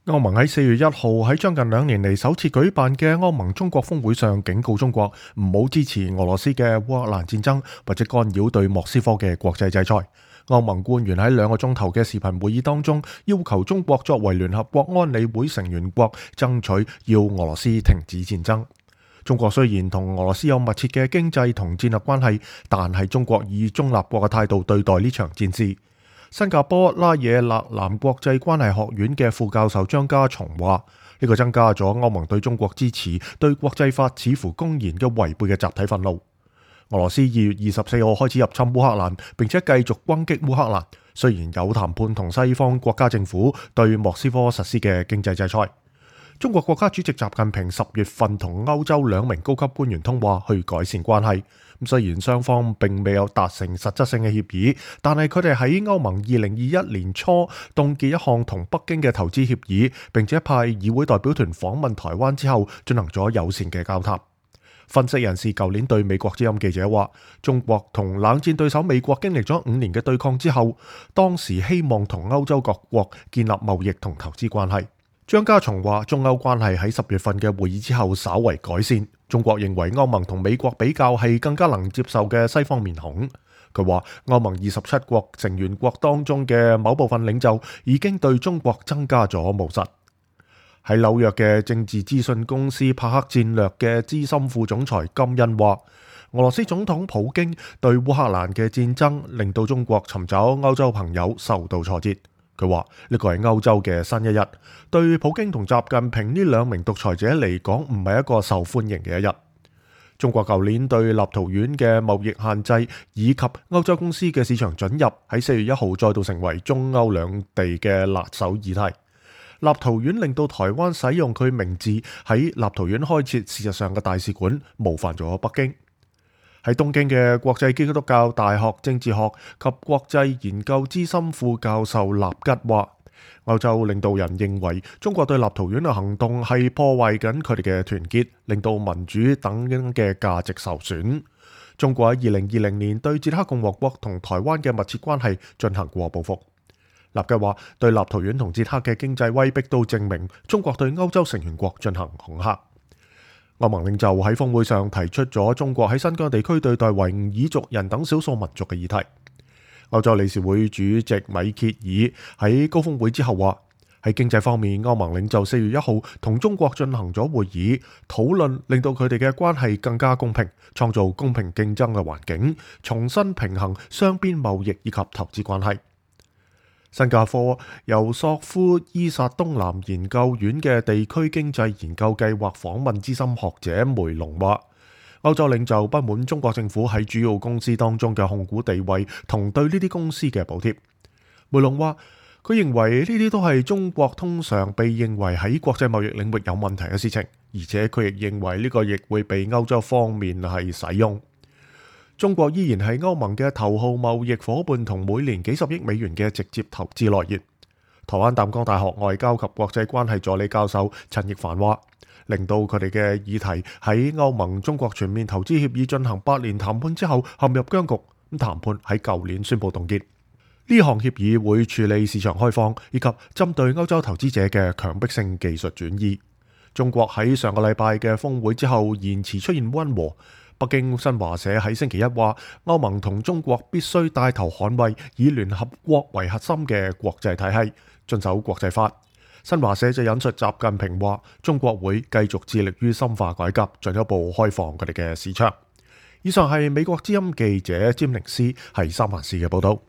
歐盟喺4月1號喺將近2年嚟首次舉辦嘅歐盟中國峰會上，警告中國唔好支持俄羅斯嘅烏克蘭戰爭或者干擾對莫斯科嘅國際制裁。歐盟官員喺2個鐘頭嘅視頻會議當中，要求中國作為聯合國安理會成員國，爭取要俄羅斯停止戰爭。中國雖然同俄羅斯有密切嘅經濟同戰略關係，但係中國以中立國嘅態度對待呢場戰事。新加坡拉惹勒南國際關係學院嘅副教授張家松話：呢個增加咗歐盟對中國支持對國際法似乎公然嘅違背嘅集體憤怒。俄羅斯2月24號開始入侵烏克蘭，並且繼續攻擊烏克蘭。雖然有談判同西方國家政府對莫斯科實施嘅經濟制裁。中國國家主席習近平10月份同歐洲2名高級官員通話，去改善關係。雖然雙方並未有達成實質性嘅協議，但係佢哋喺歐盟2021年初凍結一項同北京嘅投資協議，並且派議會代表團訪問台灣之後，進行咗友善嘅交談。分析人士舊年對美國之音記者話：中國同冷戰對手美國經歷咗5年嘅對抗之後，當時希望同歐洲各國建立貿易同投資關係。張家松話：中歐關係喺10月份嘅會議之後稍為改善。中國認為歐盟同美國比較係更加能接受嘅西方面孔。佢話歐盟27國成員國當中嘅某部分領袖已經對中國增加咗務實。喺紐約嘅政治資訊公司帕克戰略嘅資深副總裁金恩話：俄羅斯總統普京對烏克蘭嘅戰爭令到中國尋找歐洲朋友受到挫折。佢話呢個係歐洲嘅新一日，對普京同習近平呢2名獨裁者嚟講唔係一個受歡迎嘅一日。中國舊年對立陶宛嘅貿易限制以及歐洲公司嘅市場准入，喺4月1號再度成為中歐兩地嘅辣手議題。立陶宛令到台灣使用佢名字喺立陶宛開設事實上嘅大使館，冒犯咗北京。喺東京嘅國際基督教大學政治學及國際研究資深副教授納吉話：歐洲領導人認為中國對立陶宛嘅行動係破壞緊佢哋嘅團結，令到民主等嘅價值受損。中國喺2020年對捷克共和國同台灣嘅密切關係進行過報復。納吉話：對立陶宛同捷克嘅經濟威逼都證明中國對歐洲成員國進行恐嚇。歐盟領袖喺峰會上提出咗中國喺新疆地區對待維吾爾族人等少數民族嘅議題。歐洲理事會主席米歇爾喺高峰會之後話：喺經濟方面，歐盟領袖4月1號同中國進行咗會議，討論令到佢哋嘅關係更加公平，創造公平競爭嘅環境，重新平衡雙邊貿易以及投資關係。新加坡由索夫伊薩東南研究院嘅地區經濟研究計劃訪問資深學者梅隆話：歐洲領袖不滿中國政府喺主要公司當中嘅控股地位同對呢啲公司嘅補貼。梅隆話：佢認為呢啲都係中國通常被認為喺國際貿易領域有問題嘅事情，而且佢亦認為呢個亦會被歐洲方面係使用。中國依然係歐盟嘅頭號貿易夥伴同每年幾十億美元嘅直接投資來源。台灣淡江大學外交及國際關係助理教授陳奕凡話：令到佢哋嘅議題喺歐盟中國全面投資協議進行8年談判之後陷入僵局，咁談判喺舊年宣布凍結。呢項協議會處理市場開放以及針對歐洲投資者嘅強迫性技術轉移。中國喺上個禮拜嘅峰會之後言辭出現溫和。北京新華社喺星期一話，歐盟同中國必須帶頭捍衛以聯合國為核心嘅國際體系，遵守國際法。新華社就引述習近平話，中國會繼續致力於深化改革，進一步開放佢哋嘅市場。以上係美國之音記者詹寧斯喺三藩市嘅報道。